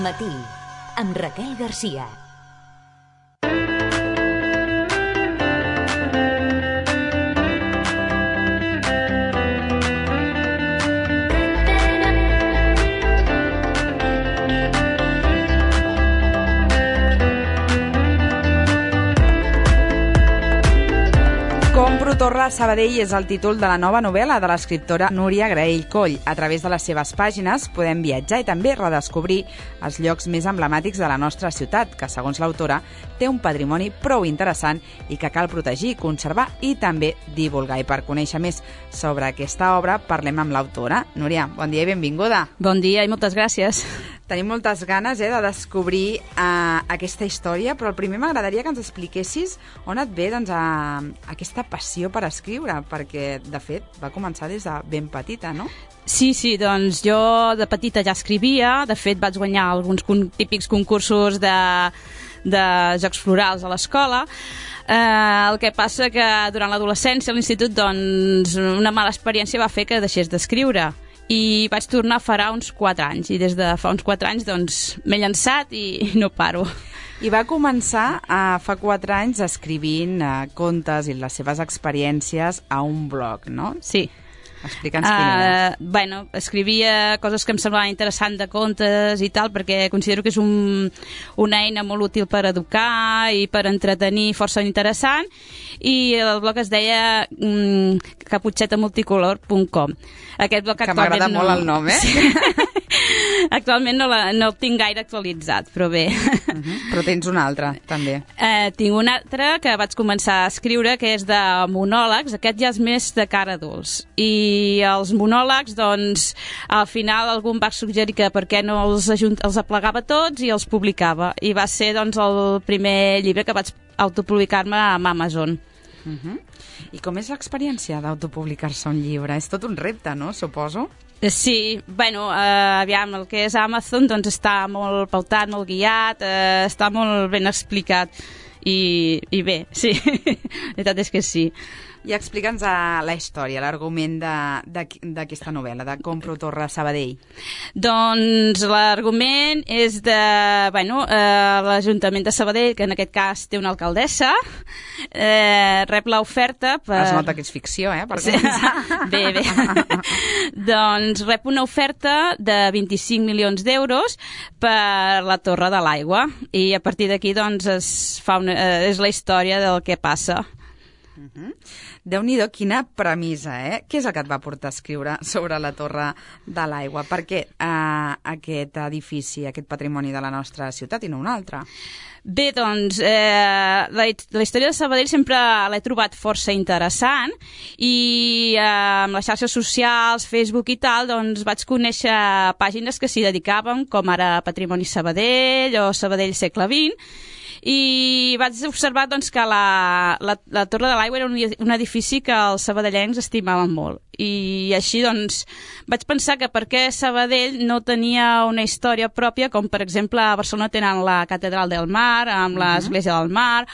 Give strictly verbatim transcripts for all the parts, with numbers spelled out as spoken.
Matí, amb Raquel Garcia. Compro Torre a Sabadell és el títol de la nova novel·la de l'escriptora Núria Graell Coll. A través de les seves pàgines podem viatjar i també redescobrir els llocs més emblemàtics de la nostra ciutat, que, segons l'autora, té un patrimoni prou interessant i que cal protegir, conservar i també divulgar. I per conèixer més sobre aquesta obra, parlem amb l'autora. Núria, bon dia i benvinguda. Bon dia i moltes gràcies. Tenim moltes ganes eh, de descobrir uh, aquesta història, però el primer m'agradaria que ens expliquessis on et ve doncs, a, a aquesta passió per escriure, perquè, de fet, va començar des de ben petita, no? Sí, sí, doncs jo de petita ja escrivia, de fet vaig guanyar alguns con típics concursos de, de jocs florals a l'escola. Eh, el que passa que durant l'adolescència a l'institut doncs, una mala experiència va fer que deixés d'escriure. I vaig tornar farà uns quatre anys, i des de fa uns quatre anys doncs, m'he llançat i no paro. I va començar uh, fa quatre anys escrivint uh, contes i les seves experiències a un blog, no? Sí. Explica'ns quin era. Uh, bueno, escrivia coses que em semblaven interessants de contes i tal, perquè considero que és un, una eina molt útil per educar i per entretenir, força interessant, i el blog es deia um, caputxeta multicolor punt com. Aquest blog que m'agrada no... molt el nom, eh? Sí. Actualment no, la, no el tinc gaire actualitzat, però bé. Uh -huh. Però tens un altre, també. Eh, tinc un altre que vaig començar a escriure, que és de monòlegs. Aquest ja és més de cara adults. I els monòlegs, doncs, al final algú em va suggerir que per què no els, ajunt, els aplegava tots i els publicava. I va ser, doncs, el primer llibre que vaig autopublicar-me amb Amazon. Uh -huh. I com és l'experiència d'autopublicar-se un llibre? És tot un repte, no? Suposo. Sí, bueno, eh, aviam, el que és Amazon doncs està molt pautat, molt guiat, eh, està molt ben explicat i, i bé, sí, la veritat és que sí. I explica'ns la història, l'argument d'aquesta novel·la, de Compro Torre a Sabadell. Doncs l'argument és de, bueno, eh, l'Ajuntament de Sabadell, que en aquest cas té una alcaldessa, eh, rep l'oferta per... Es nota que és ficció, eh, per començar. Bé, bé. Doncs rep una oferta de vint-i-cinc milions d'euros per la Torre de l'Aigua, i a partir d'aquí doncs es fa una, eh, és la història del que passa. Uh-huh. Déu-n'hi-do, quina premissa, eh? Què és el que et va portar a escriure sobre la Torre de l'Aigua? Per què uh, aquest edifici, aquest patrimoni de la nostra ciutat i no un altre? Bé, doncs, eh, la, la història de Sabadell sempre l'he trobat força interessant i eh, amb les xarxes socials, Facebook i tal, doncs vaig conèixer pàgines que s'hi dedicaven, com ara Patrimoni Sabadell o Sabadell segle vint, i vaig observar doncs, que la, la, la Torre de l'Aigua era un, un edifici que els sabadellencs estimaven molt. I així doncs, vaig pensar que per què Sabadell no tenia una història pròpia, com per exemple a Barcelona tenen la Catedral del Mar, amb l'Església del Mar,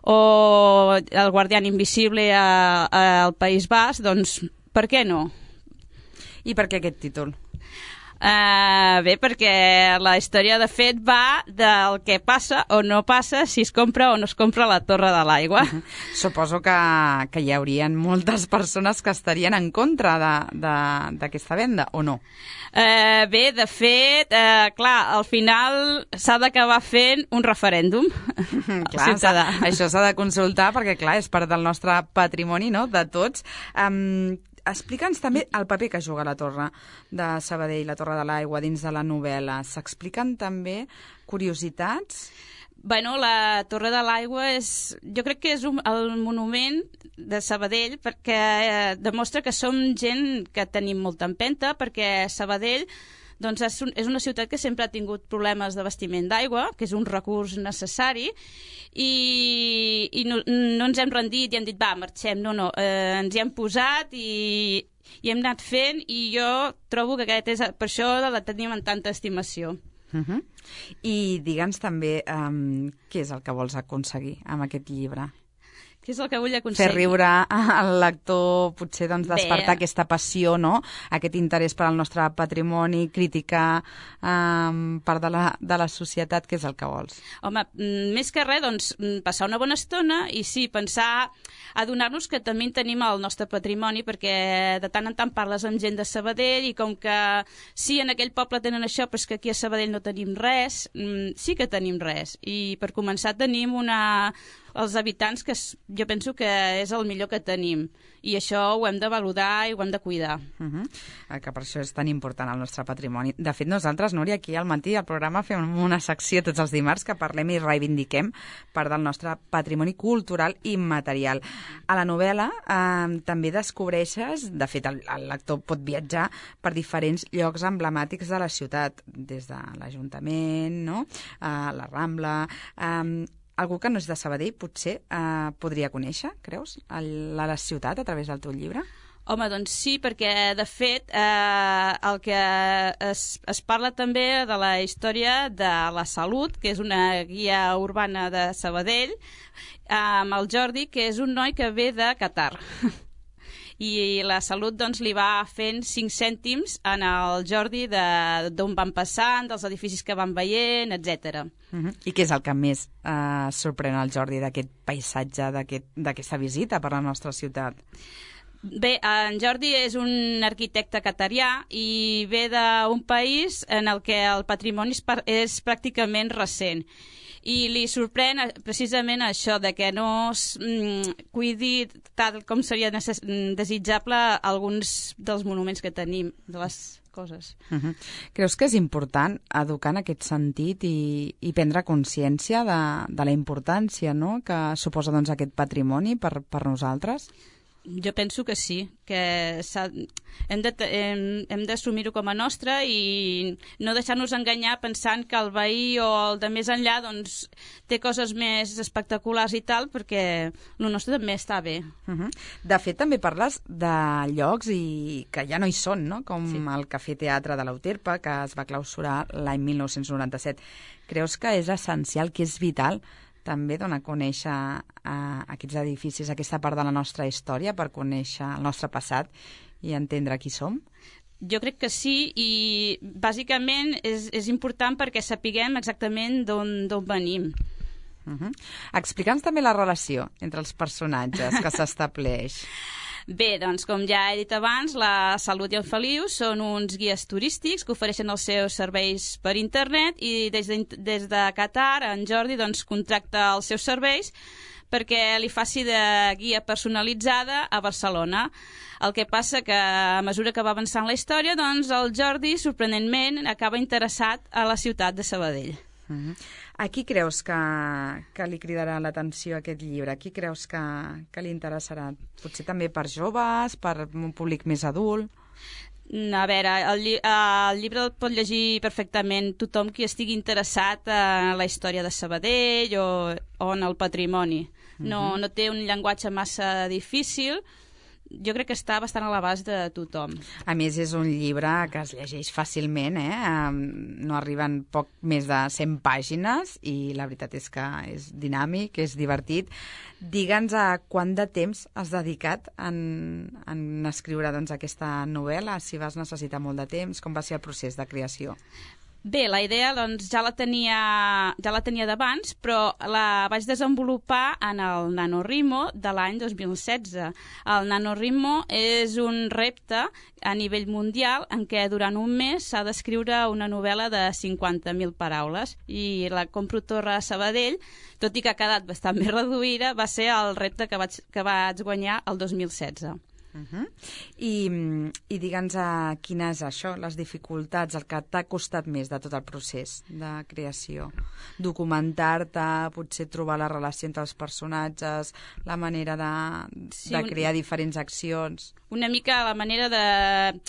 o el Guardián Invisible a, a, al País Basc, doncs per què no? I per què aquest títol? Uh, bé, perquè la història de fet va del que passa o no passa si es compra o no es compra la Torre de l'Aigua. Uh-huh. Suposo que, que hi haurien moltes persones que estarien en contra d'aquesta venda, o no? Uh, bé, de fet, uh, clar, al final s'ha d'acabar fent un referèndum. Clar, això s'ha de consultar perquè, clar, és part del nostre patrimoni, no?, de tots. Um, Explica'ns també el paper que juga la Torre de Sabadell, la Torre de l'Aigua, dins de la novel·la. S'expliquen també curiositats? Bueno, la Torre de l'Aigua és... Jo crec que és un, el monument de Sabadell perquè eh, demostra que som gent que tenim molta empenta, perquè Sabadell doncs és, un, és una ciutat que sempre ha tingut problemes d'abastiment d'aigua, que és un recurs necessari, i, i no, no ens hem rendit i hem dit, va, marxem. No, no, eh, ens hi hem posat i, i hem anat fent, i jo trobo que aquest és, per això la tenim en tanta estimació. Uh -huh. I digue'ns també um, què és el que vols aconseguir amb aquest llibre? Què és el que vull aconseguir? Fer riure al lector, potser doncs, despertar Bé. aquesta passió, no? Aquest interès per al nostre patrimoni, criticar um, part de la, de la societat, què és el que vols? Home, més que res, doncs, passar una bona estona i sí, pensar, adonar-nos que també tenim el nostre patrimoni, perquè de tant en tant parles amb gent de Sabadell i com que sí, en aquell poble tenen això, però és que aquí a Sabadell no tenim res, sí que tenim res. I per començar tenim una... els habitants, que jo penso que és el millor que tenim, i això ho hem de valorar i ho hem de cuidar. Uh -huh. Que per això és tan important el nostre patrimoni. De fet, nosaltres, Núria, aquí al matí al programa fem una secció tots els dimarts que parlem i reivindiquem part del nostre patrimoni cultural i material. A la novel·la eh, també descobreixes, de fet el, el lector pot viatjar per diferents llocs emblemàtics de la ciutat, des de l'Ajuntament, no? eh, la Rambla... Eh, algú que no és de Sabadell potser eh, podria conèixer, creus, el, la, la ciutat a través del teu llibre? Home, doncs sí, perquè de fet eh, el que es, es parla també de la història de la Salut, que és una guia urbana de Sabadell, eh, amb el Jordi, que és un noi que ve de Qatar. I la Salut doncs, li va fent cinc cèntims en el Jordi d'on van passant, dels edificis que van veient, etcètera. Uh-huh. I què és el que més eh, sorprèn el Jordi d'aquest paisatge, d'aquesta aquest, visita per la nostra ciutat? Bé, en Jordi és un arquitecte qatarià i ve d'un país en el que el patrimoni és, és pràcticament recent. I li sorprèn precisament això, de que no es mm, cuidi tal com seria necess- desitjable alguns dels monuments que tenim, de les coses. Uh-huh. Creus que és important educar en aquest sentit i, i prendre consciència de, de la importància, no?, que suposa doncs, aquest patrimoni per, per nosaltres? Jo penso que sí, que hem de, hem, hem d'assumir-ho com a nostre i no deixar-nos enganyar pensant que el veí o el de més enllà doncs, té coses més espectaculars i tal, perquè el nostre també està bé. Uh-huh. De fet, també parles de llocs i que ja no hi són, no?, com sí. el Cafè Teatre de l'Euterpe, que es va clausurar l'any mil nou-cents noranta-set. Creus que és essencial, que és vital, també dona a conèixer uh, aquests edificis, aquesta part de la nostra història, per conèixer el nostre passat i entendre qui som? Jo crec que sí, i bàsicament és, és important perquè sapiguem exactament d'on venim. Uh-huh. Explica'ns també la relació entre els personatges que s'estableix. Bé, doncs, com ja he dit abans, la Salut i el Feliu són uns guies turístics que ofereixen els seus serveis per internet i des de, des de Qatar en Jordi doncs, contracta els seus serveis perquè li faci de guia personalitzada a Barcelona. El que passa que a mesura que va avançant la història, doncs el Jordi, sorprenentment, acaba interessat a la ciutat de Sabadell. Uh-huh. A qui creus que, que li cridarà l'atenció aquest llibre? A qui creus que, que li interessarà? Potser també per joves, per un públic més adult? A veure, el, lli el llibre el pot llegir perfectament tothom qui estigui interessat en la història de Sabadell o, o en el patrimoni. No, uh-huh. no té un llenguatge massa difícil. Jo crec que està bastant a l'abast de tothom. A més, és un llibre que es llegeix fàcilment, eh? No arriben poc més de cent pàgines i la veritat és que és dinàmic, és divertit. Digue'ns a quant de temps has dedicat en, en escriure doncs, aquesta novel·la, si vas necessitar molt de temps, com va ser el procés de creació? Bé, la idea doncs, ja la tenia, ja la tenia d'abans, però la vaig desenvolupar en el NaNoWriMo de l'any dos mil setze. El NaNoWriMo és un repte a nivell mundial en què durant un mes s'ha d'escriure una novel·la de cinquanta mil paraules i la Compro Torre a Sabadell, tot i que ha quedat bastant més reduïda, va ser el repte que vaig, que vaig guanyar el dos mil setze. Uh-huh. I, i digue'ns a quina és això, les dificultats, el que t'ha costat més de tot el procés de creació. Documentar-te, potser trobar la relació entre els personatges, la manera de, sí, de crear un... diferents accions. Una mica la manera de,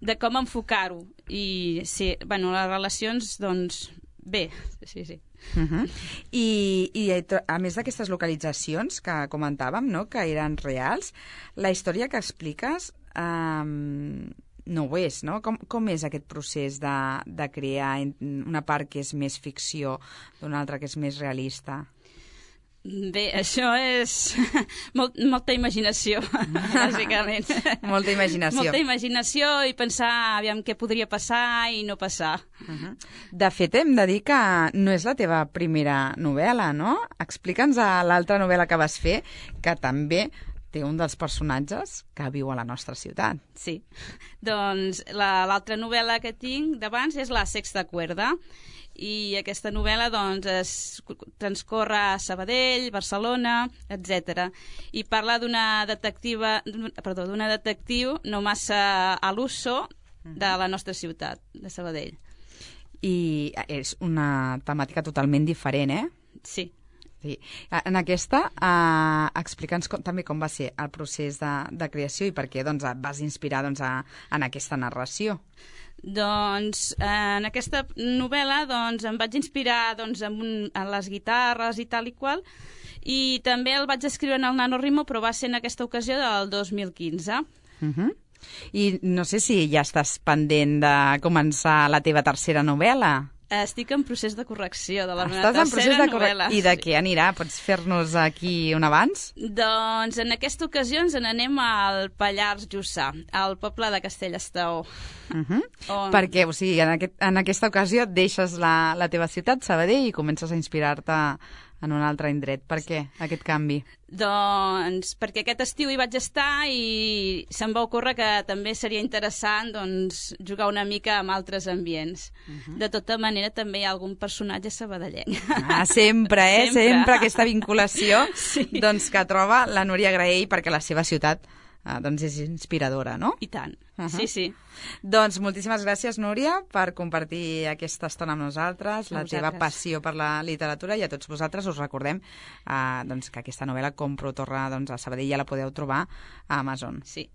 de com enfocar-ho. I sí, bueno, les relacions, doncs, bé, sí, sí. Uh-huh. I, i a més d'aquestes localitzacions que comentàvem, no?, que eren reals, la història que expliques um, no ho és, no? Com, com és aquest procés de, de crear una part que és més ficció d'una altra que és més realista? Bé, això és Molt, molta imaginació, bàsicament. Molta imaginació. Molta imaginació i pensar aviam què podria passar i no passar. Uh-huh. De fet, hem de dir que no és la teva primera novel·la, no? Explica'ns a l'altra novel·la que vas fer, que també té un dels personatges que viu a la nostra ciutat. Sí. Doncs l'altra la, novel·la que tinc d'abans és La sexta cuerda, i aquesta novel·la doncs, es transcorre a Sabadell, Barcelona, etcètera. I parla d'una detectiva, perdó, d'una detectiu no massa a l'uso de la nostra ciutat, de Sabadell. I és una temàtica totalment diferent, eh? Sí. Sí. En aquesta, eh, explica'ns com, també com va ser el procés de, de creació i per què doncs, et vas inspirar doncs, a, en aquesta narració. Doncs eh, en aquesta novel·la doncs, em vaig inspirar doncs, en, un, en les guitarres i tal i qual, i també el vaig escriure en el NaNoWriMo, però va ser en aquesta ocasió del dos mil quinze. Uh-huh. I no sé si ja estàs pendent de començar la teva tercera novel·la. Estic en procés de correcció de la Estàs meva en procés tercera de corre... novel·la. I de què anirà? Pots fer-nos aquí un abans? Doncs en aquesta ocasió ens n'anem al Pallars Jussà, al poble de Castellestao. Uh-huh. On... Perquè, o sigui, en, aquest, en aquesta ocasió deixes la, la teva ciutat, Sabadell, i comences a inspirar-te en un altre indret. Per què aquest canvi? Doncs perquè aquest estiu hi vaig estar i se'm va ocórrer que també seria interessant doncs, jugar una mica amb altres ambients. Uh-huh. De tota manera, també hi ha algun personatge sabadellenc. Ah, sempre, eh? Sempre, sempre aquesta vinculació sí. doncs, que troba la Núria Graell perquè la seva ciutat eh, doncs és inspiradora, no? I tant, uh-huh. sí, sí. Doncs moltíssimes gràcies, Núria, per compartir aquesta estona amb nosaltres, la teva passió per la literatura, i a tots vosaltres us recordem eh, doncs, que aquesta novel·la Compro torna doncs, a Sabadell, ja la podeu trobar a Amazon. Sí,